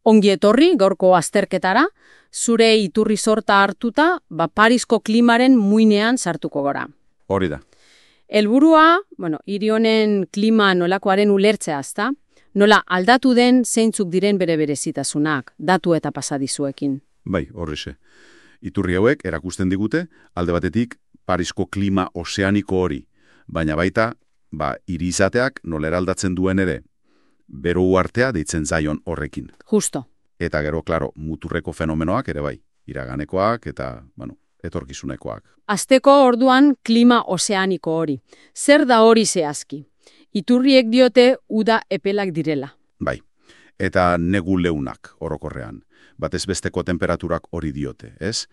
Ongi etorri gaurko azterketara, zure iturri sorta hartuta, Parisko klimaren muinean sartuko gora. Hori da. Helburua, hiri honen klima nolakoaren ulertzea, ezta? Nola aldatu den zeintzuk diren bere berezitasunak, datu eta pasadizuekin. Bai, horrexe. Iturri hauek erakusten digute, alde batetik Parisko klima ozeaniko hori, baina baita, hiri izateak nola eraldatzen duen ere, bero uhartea deitzen zaion horrekin. Justo. Eta gero, klaro, muturreko fenomenoak ere bai, iraganekoak eta, etorkizunekoak. Azteko orduan klima ozeaniko hori. Zer da hori zehazki? Iturriek diote uda epelak direla. Bai, eta negu leunak orokorrean. Batez besteko temperaturak hori diote, ez?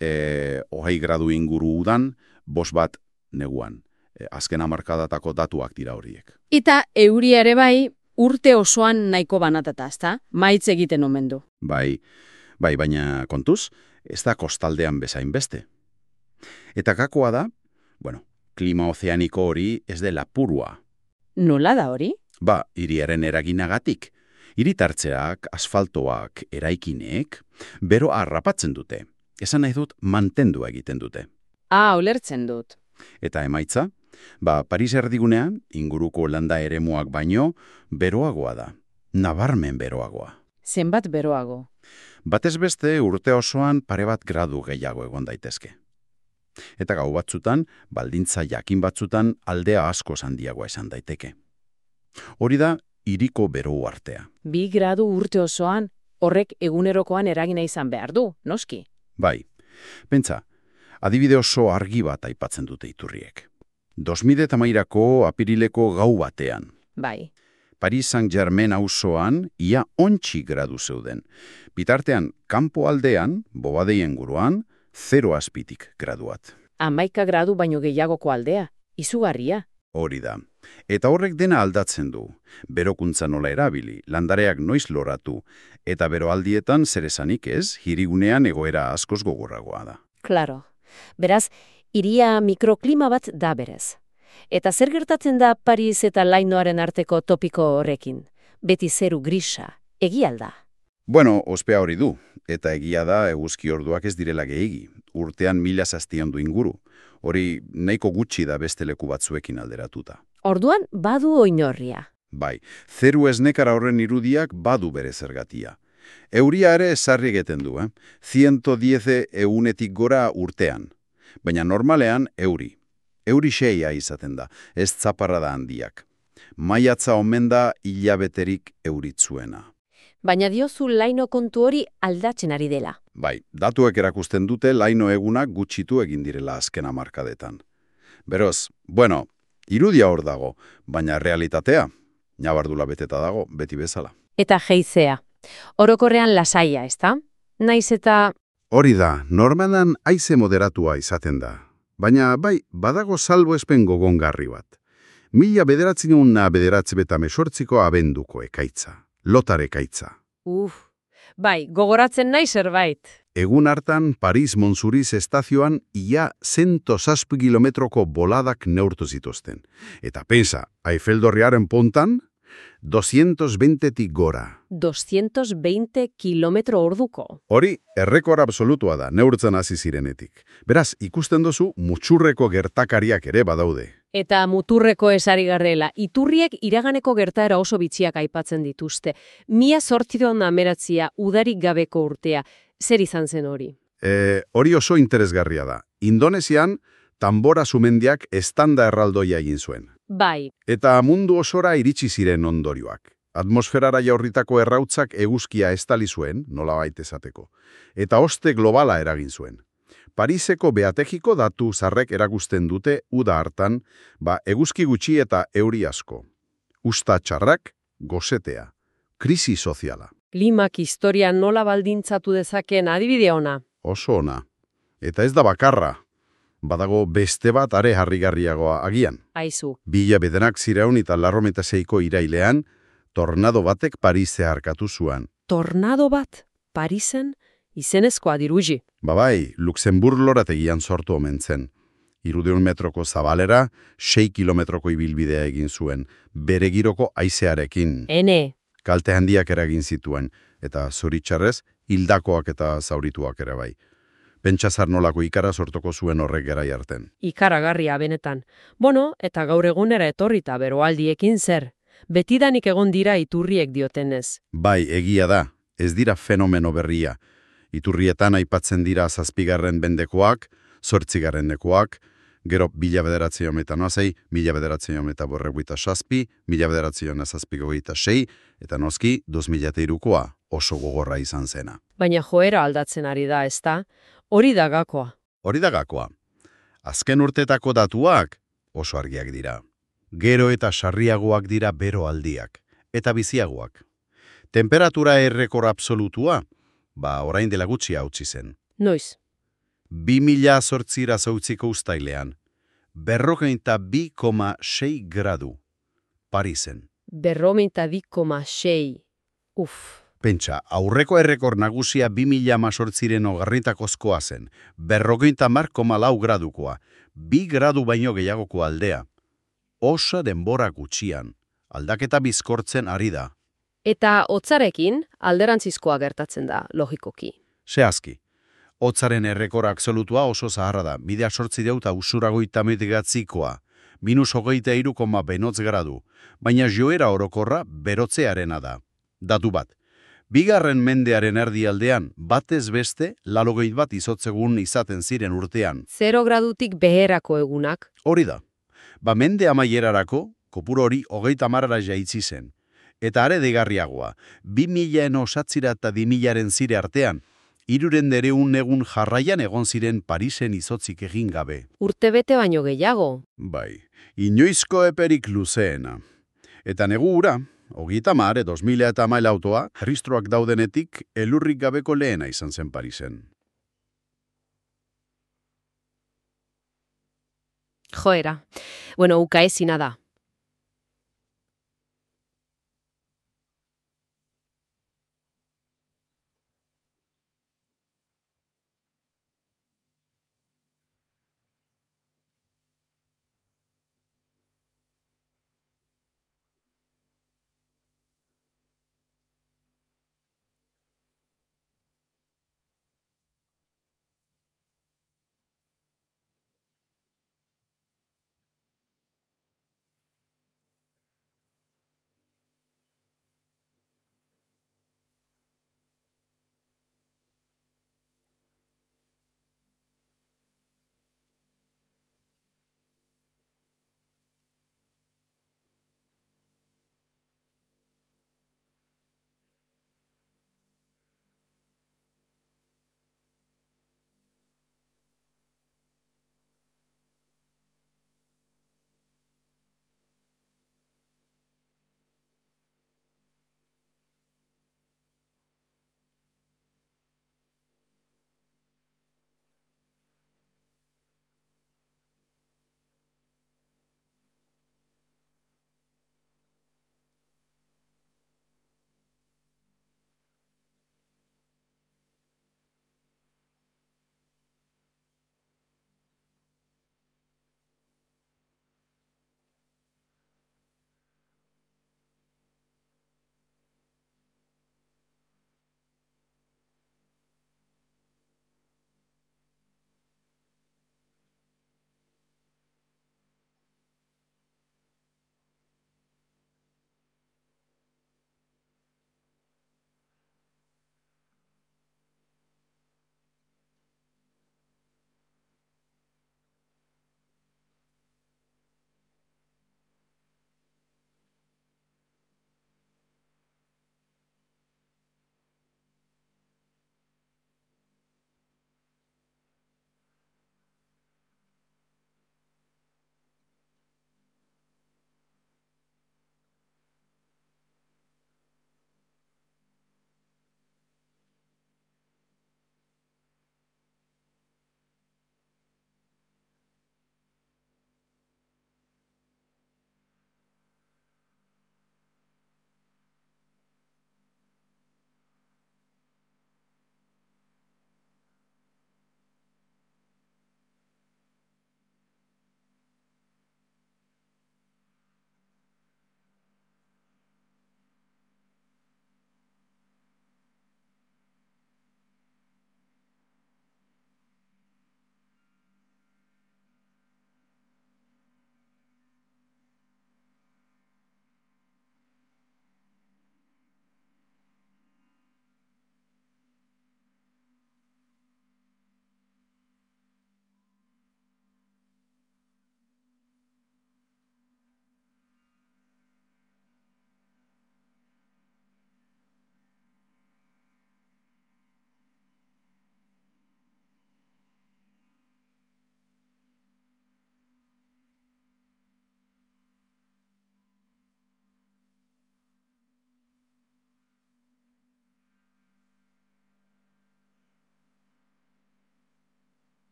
20 gradu inguru udan, 5 neguan. Azken hamarkadatako datuak dira horiek. Eta euria ere bai, urte osoan nahiko banatata, ezta? Maitz egiten omen du. Bai, baina kontuz, ez da kostaldean bezain beste. Eta gakoa da, klima ozeaniko hori ez dela purua. Nola da hori? Hiriaren eraginagatik. Hiritartzeak, asfaltoak, eraikinek, bero harrapatzen dute. Esan nahi dut, mantendu egiten dute. Ulertzen dut. Eta emaitza? Paris erdigunean, inguruko landa eremuak baino, beroagoa da. Nabarmen beroagoa. Zenbat beroago? Batez beste urte osoan pare bat gradu gehiago egon daitezke. Eta gau batzutan, baldintza jakin batzutan aldea asko handiagoa esan daiteke. Hori da, hiriko bero uhartea. 2 gradu urte osoan, horrek egunerokoan eragina izan behar du, noski? Bai, pentsa, adibide oso argi bat aipatzen dute iturriek. 2013ko apirileko gau batean. Bai. Paris Saint-Germain auzoan ia 11 gradu zeuden. Bitartean, kanpo aldean, bobadeien guruan, 0 azpitik graduat. 11 gradu baino gehiagoko aldea, izugarria. Hori da. Eta horrek dena aldatzen du. Berokuntza nola erabili, landareak noiz loratu, eta beroaldietan zer esanik ez, hirigunean egoera askoz gogorragoa da. Claro. Beraz, hiria mikroklima bat da berez. Eta zer gertatzen da Paris eta Lainoaren arteko topiko horrekin? Beti zeru grisa, egia alda? Ospea hori du, eta egia da eguzki orduak ez direla gehiegi, urtean 1000 zaztiondu inguru. Hori nahiko gutxi da beste leku batzuekin alderatuta. Orduan badu oinorria. Bai, zeru esnekara horren irudiak badu bere zergatia. Euria ere sarri egiten du, 110 egunetik gora urtean. Baina normalean euri. Euri 6 izaten da, ez zaparrada handiak. Maiatza omen da hilabeterik euritzuena. Baina diozu Laino kontu hori aldatzen ari dela. Bai, datuek erakusten dute Laino egunak gutxitu egin direla azken hamarkadetan. Beroz, irudia hor dago, baina realitatea, nabardula beteta dago, beti bezala. Eta geizea. Orokorrean lasaia, ezta? Naiz eta... Hori da, normalan haize moderatua izaten da. Baina badago salbuespen gogongarri bat. 1998ko abenduko ekaitza. Lotar ekaitza. Gogoratzen nahi zerbait. Egun hartan, Paris Montsouris estazioan ia 107 kilometroko boladak neurtu zituzten. Eta pensa, Eiffeltorriaren pontan, 220tik gora. 220 kilometro orduko. Hori, errekor absolutua da, neurtzen hasi zirenetik. Beraz, ikusten duzu, mutxurreko gertakariak ere badaude. Eta muturreko esari garrela, iturriek iraganeko gertaera oso bitxiak aipatzen dituzte. 1800 udarik gabeko urtea. Zer izan zen hori? Hori oso interesgarria da. Indonesian, Tambora sumendiak estanda erraldoia egin zuen. Bai. Eta mundu osora iritsi ziren ondorioak. Atmosferara jaurritako errautzak eguzkia estali zuen, nolabait esateko. Eta oste globala eragin zuen. Pariseko beategiko datu zarrek erakusten dute uda hartan, eguzki gutxi eta euri asko. Usta txarrak, gosetea. Krisi soziala. Klimak historia nola baldintzatu dezakeen adibide ona. Oso ona. Eta ez da bakarra. Badago beste bat are harrigarriagoa agian. Aizu. 1996ko irailean, tornado batek Parise harkatu zuan. Tornado bat? Parisen? Izenezkoa diruji. Bai, Luxemburg lorategian sortu omen zen. 200 metroko zabalera, 6 kilometroko ibilbidea egin zuen, bere giroko haizearekin. Ene, Kalte handiak eragin zituen, eta zoritxarrez, hildakoak eta zaurituak ere bai. Pentsazar nolako ikara sortoko zuen horrek gerai arten. Ikaragarria benetan. Bueno, eta gaur egunera etorrita beroaldiekin zer? Betidanik egon dira iturriek diotenez. Bai, egia da, ez dira fenomeno berria. Iturrietan aipatzen dira 7. mendekoak, 8. gero 1906, 1907, 1906, eta noski 2003koa oso gogorra izan zena. Baina joera aldatzen ari da, ezta? Hori da gakoa. Hori da gakoa. Azken urtetako datuak oso argiak dira. Gero eta sarriagoak dira beroaldiak, eta biziagoak. Temperatura errekor absolutua, orain dela gutxi hautsi zen. Noiz? 2008 uztailean, 42,6 gradu, Parisen. 42,6. Pentsa, aurreko errekor nagusia 2018 ogarritakozkoa zen, 50,4 gradukoa, 2 gradu baino gehiagoko aldea. Oso denbora gutxian, aldaketa bizkortzen ari da. Eta hotzarekin alderantzizkoa gertatzen da, logikoki. Zehazki, hotzaren errekor absolutua oso zaharra da, 2008 usuragoitamegatzikoa, -23,benotz gradu, baina joera orokorra berotzearena da. Datu bat. 2. mendearen erdialdean, batez beste, 81 izotzegun izaten ziren urtean. 0 gradutik beherako egunak. Hori da. Mende amaierarako, kopuru hori 30 jaitsi zen. Eta are deigarriagoa, 2000en osatzira eta 2000aren zire artean, 300 egun jarraian egon ziren Parisen izotzik egin gabe. Urtebete baino gehiago. Bai, inoizko eperik luzeena. Eta negu ura, 30 2000 autoa, erristroak daudenetik elurrik gabeko lehena izan zen Parisen. Joera. Bueno, ukaezina da.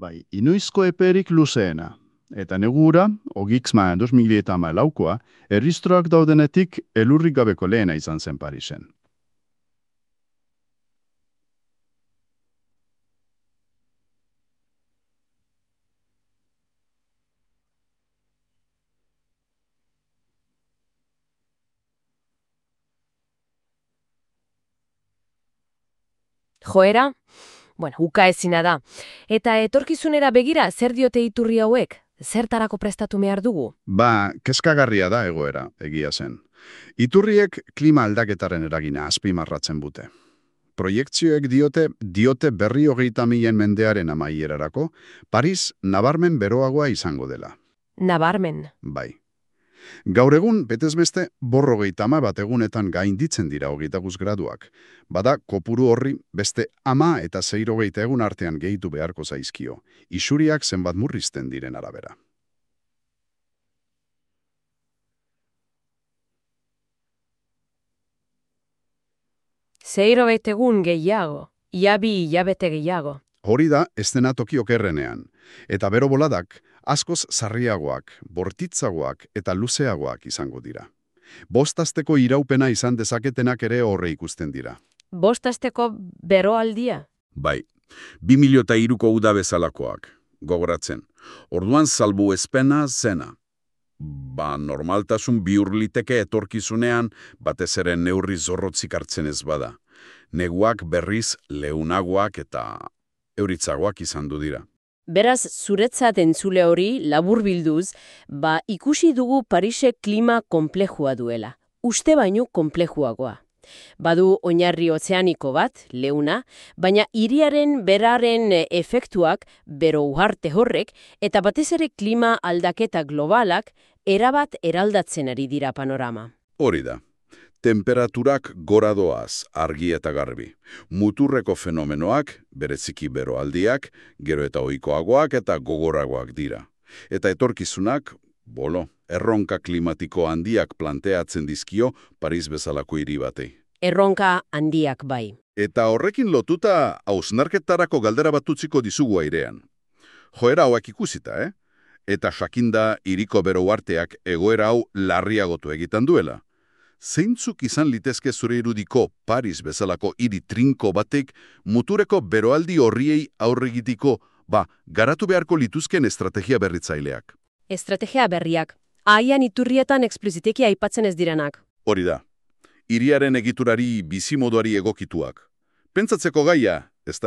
Bai, inoizko eperik luzeena. Eta negura, ogixma 2014koa, erristroak daudenetik elurrik gabeko lehena izan zen Parisen. Joera, ukaezina da. Eta etorkizunera begira, zer diote iturri hauek? Zertarako prestatu behar dugu? Kezkagarria da egoera, egia zen. Iturriek klima aldaketaren eragina azpimarratzen bute. Proiektzioek diote berri 30.000 mendearen amaierarako, Paris nabarmen beroagoa izango dela. Nabarmen. Bai. Gaur egun, betezbeste, 50 bat egunetan gainditzen dira 25 graduak. Bada, kopuru horri beste 10 eta 60 egun artean gehitu beharko zaizkio. Isuriak zenbat murrizten diren arabera. Zeiro egun gehiago, iabi hilabete gehiago. Hori da, ez dena toki okerrenean. Eta bero boladak, askoz sarriagoak, bortitzagoak eta luzeagoak izango dira. 5 asteko iraupena izan dezaketenak ere horre ikusten dira. 5 asteko beroaldia? Bai, 2003ko uda bezalakoak, gogoratzen. Orduan salbuespena zena. Normaltasun bihurliteke etorkizunean, batez ere neurri zorrotzik hartzen ez bada. Neguak berriz leunagoak eta euritzagoak izan du dira. Beraz, zuretzat entzule hori, laburbilduz, ikusi dugu Parisek klima konplejua duela. Uste baino konplejuagoa. Badu oinarri ozeaniko bat, leuna, baina hiriaren beraren efektuak, bero uharte horrek, eta batez ere klima aldaketa globalak, erabat eraldatzen ari dira panorama. Hori da. Temperaturak gora doaz, argi eta garbi. Muturreko fenomenoak, bereziki beroaldiak, gero eta ohikoagoak eta gogoragoak dira. Eta etorkizunak, erronka klimatiko handiak planteatzen dizkio Paris bezalako hiri batei. Erronka handiak bai. Eta horrekin lotuta hausnarketarako galdera bat utziko dizugu airean. Joera hauak ikusita, Eta jakinda hiriko bero uharteak egoera hau larriagotu egiten duela. Zeintzuk izan litezke zure irudiko Paris bezalako hiri trinko batek mutureko beroaldi horriei aurregitiko, garatu beharko lituzken estrategia berritzaileak? Estrategia berriak. Haian iturrietan ekspliziteki aipatzen ez direnak. Hori da. Hiriaren egiturari bizimoduari egokituak. Pentsatzeko gaia, ezta?